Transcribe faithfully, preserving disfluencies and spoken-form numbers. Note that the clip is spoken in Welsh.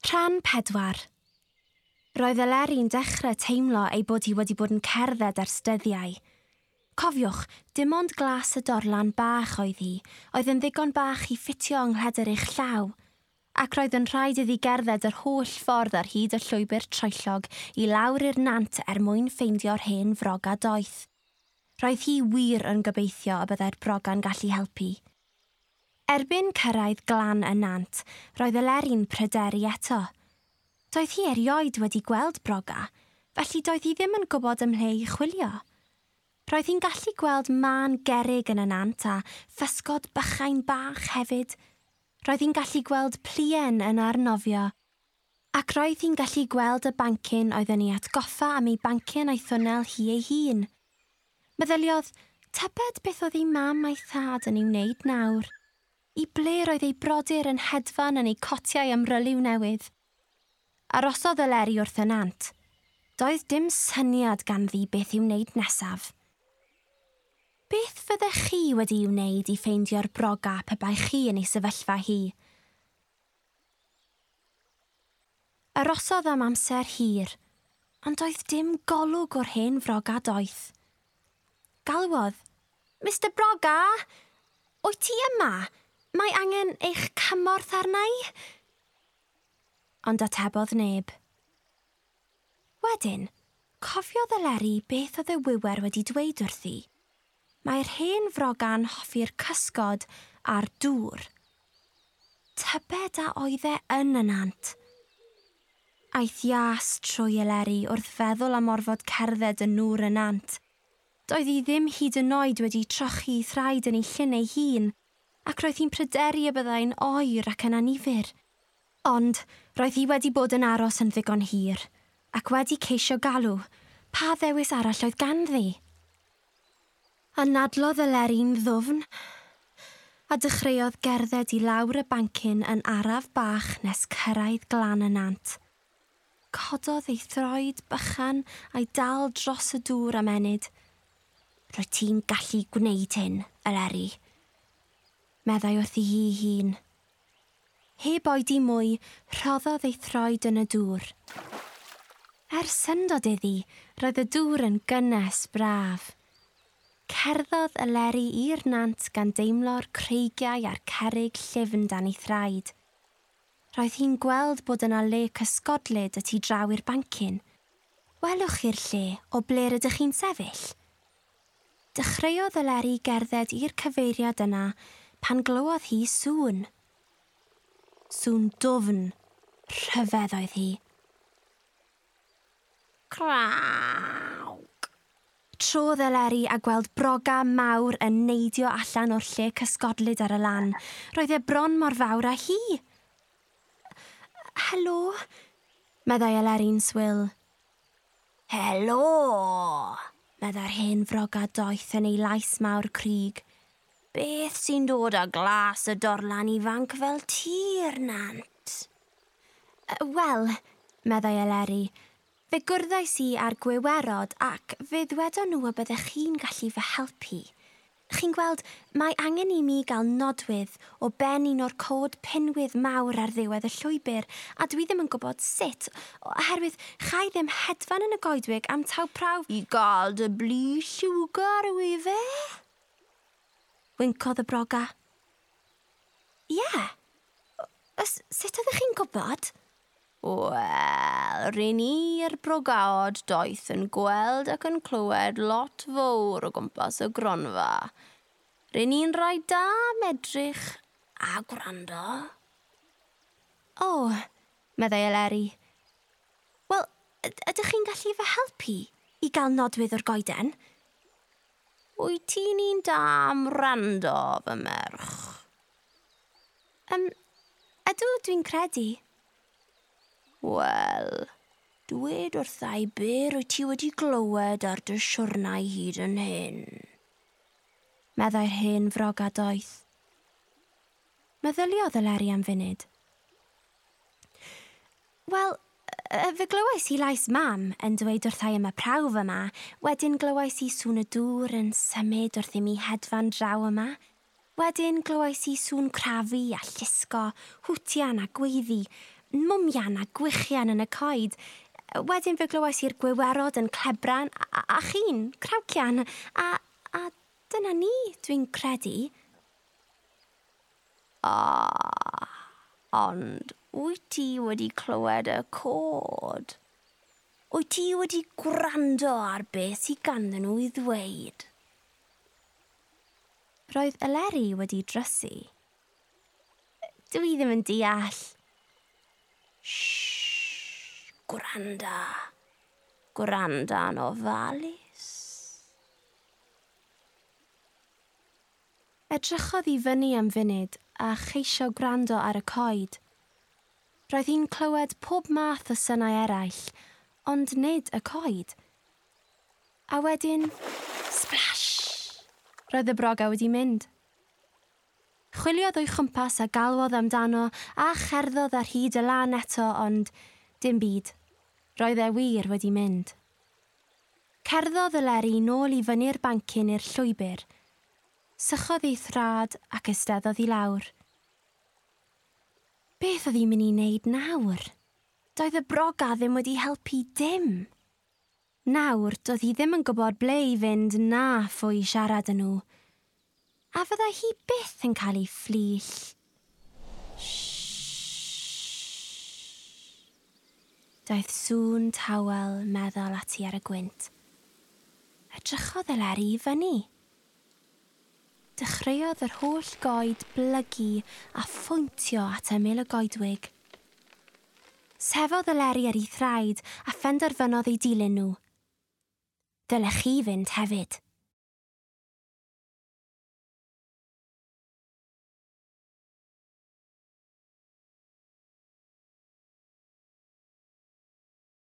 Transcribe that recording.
Rhan pedwar. Roedd Eleri'n dechrau teimlo ei bod hi wedi bod yn cerdded ers dyddiau. Cofiwch, dim ond glas y dorlan bach oedd hi, oedd yn ddigon bach i ffitio yng nghledr eich llaw, ac roedd yn rhaid iddi gerdded yr holl ffordd ar hyd y llwybr troellog i lawr i'r nant er mwyn ffeindio'r hen froga doeth. Roedd hi wir yn gobeithio y byddai'r broga'n gallu helpu. Erbyn cyrraedd glan y nant, roedd Eleri'n pryderu eto. Doedd hi erioed wedi gweld broga, felly doedd hi ddim yn gwybod ymhle i chwilio. Roedd hi'n gallu gweld mân gerrig yn y nant a physgod bychain bach hefyd. Roedd hi'n gallu gweld pluen yn arnofio. Ac roedd hi'n gallu gweld y bancyn oedd yn ei atgoffa am ei bancyn a'i thwnnel hi ei hun. Meddyliodd, tybed beth oedd ei mam a'i thad yn ei wneud nawr? I ble roedd ei brodyr yn hedfan yn eu cotiau amryliw newydd? Arosodd Eleri wrth y nant. Doedd dim syniad ganddi beth i'w wneud nesaf. Beth fyddech chi wedi'i wneud i ffeindio'r broga pe bai chi yn ei sefyllfa hi? Arosodd am amser hir, ond doedd dim golwg o'r hen froga doeth. Galwodd, Mister Broga, wyt ti yma? Mae angen eich cymorth arna i? Ond atebodd neb. Wedyn, cofiodd Eleri beth oedd y wiwer wedi dweud wrthi. Mae'r hen froga'n hoffi'r cysgod a'r dŵr. Tybed a oedd e yn y nant. Aeth ias trwy Eleri wrth feddwl am orfod cerdded yn nŵr y nant. Doedd hi ddim hyd yn oed wedi trochi thraed yn ei llyn ei hun, ac roedd hi'n pryderu y byddai'n oer ac yn annifyr. Ond roedd hi wedi bod yn aros yn ddigon hir, ac wedi ceisio galw, pa ddewis arall oedd ganddi? Anadlodd Eleri'n ddwfn, a dechreuodd gerdded i lawr y bancyn yn araf bach nes cyrraedd glan y nant. Cododd ei throed bychan a'i dal dros y dŵr am ennyd. Rwyt ti'n gallu gwneud hyn, Eleri, meddai wrthi hi hun. Heb oedi mwy, rhoddodd ei throed yn y dŵr. Er syndod iddi, roedd y dŵr yn gynnes braf. Cerddodd Eleri i'r nant gan deimlo'r creigiau a'r cerrig llyfn dan ei thraed. Roedd hi'n gweld bod yna le cysgodlyd y tu draw i'r bancyn. Welwch chi'r lle o ble rydych chi'n sefyll? Dechreuodd Eleri gerdded i'r cyfeiriad yna pan glywodd hi sŵn. Sŵn dwfn, rhyfedd oedd hi. Crawc! Trodd Eleri a gweld broga mawr yn neidio allan o'r lle cysgodlyd ar y lan. Roedd e bron mor fawr â hi. Helo, meddai Eleri'n swil. Helo, meddai'r hen froga doeth yn ei lais mawr cryg. Beth sy'n dod â glas y dorlan ifanc fel tir, nant? Wel, meddai Eleri, fe gwrddais i â'r gwiwerod ac fe ddwedon nhw y byddech chi'n gallu fy helpu. Chi'n gweld, mae angen i mi gael nodwydd o ben un o'r cod pinwydd mawr ar ddiwedd y llwybr, a dwi ddim yn gwybod sut, oherwydd chai ddim hedfan yn y goedwig am taw prawf i gael dy blu lliwgar yw i fe? Wincodd y broga. Ie. Yeah. Sut oeddech chi'n gwybod? Wel, ryn ni'r brogaod doeth yn gweld ac yn clywed lot fawr o gwmpas y gronfa. Ryn ni'n rhai da medrych a gwrando. O, oh, meddai Eleri. Wel, ydych chi'n gallu fy helpu i gael nodwydd o'r goeden? Wyt ti'n un da am wrando, fy merch? Um, ydw, dwi'n credu. Wel, dwed wrtha i be rwyt ti wedi glywed ar dy siwrnai hyd yn hyn, meddai'r hen froga doeth. Meddyliodd Eleri am funud. Wel, fe glywais i lais mam yn dweud wrtha i am y prawf yma, wedyn glywais i sŵn y dŵr yn symud wrth i mi hedfan draw yma. Wedyn glywais i sŵn crafu a llusgo, hwtian a gweiddi. mwmian a gwichian yn y coed. Wedyn fe glywais i'r gwiwerod yn clebran a, a chi'n crawcian. A, a dyna ni, dwi'n credu. O, ond wyt ti wedi clywed y cod? Wyt ti wedi gwrando ar beth sydd ganddyn nhw i ddweud? Roedd Eleri wedi drysu. Dwi ddim yn deall. Shh, gwranda. Gwranda'n ofalus. Edrychodd i fyny am funud a cheisio gwrando ar y coed. Roedd hi'n clywed pob math o synau eraill, ond nid y coed. A wedyn, splash! Roedd y broga wedi mynd. Chwiliodd o'i chwmpas a galwodd amdano a cherddodd ar hyd y lan eto, ond dim byd. Roedd e wir wedi mynd. Cerddodd Eleri nôl i fyny'r bancyn i'r llwybr. Sychodd ei thrad ac eisteddodd i lawr. Beth oedd hi'n mynd i wneud nawr? Doedd y broga ddim wedi helpu dim. Nawr, doedd hi ddim yn gwybod ble i fynd na phwy i siarad â nhw. A fyddai hi byth yn cael ei fflill. Daeth sŵn tawel meddal ati ar y gwynt. Edrychodd Eleri i fyny. Dechreuodd yr holl goed blygu a phwyntio at ymyl y goedwig. Sefodd Eleri ar ei thraed a phenderfynodd ei dilyn nhw. Dylech chi fynd hefyd.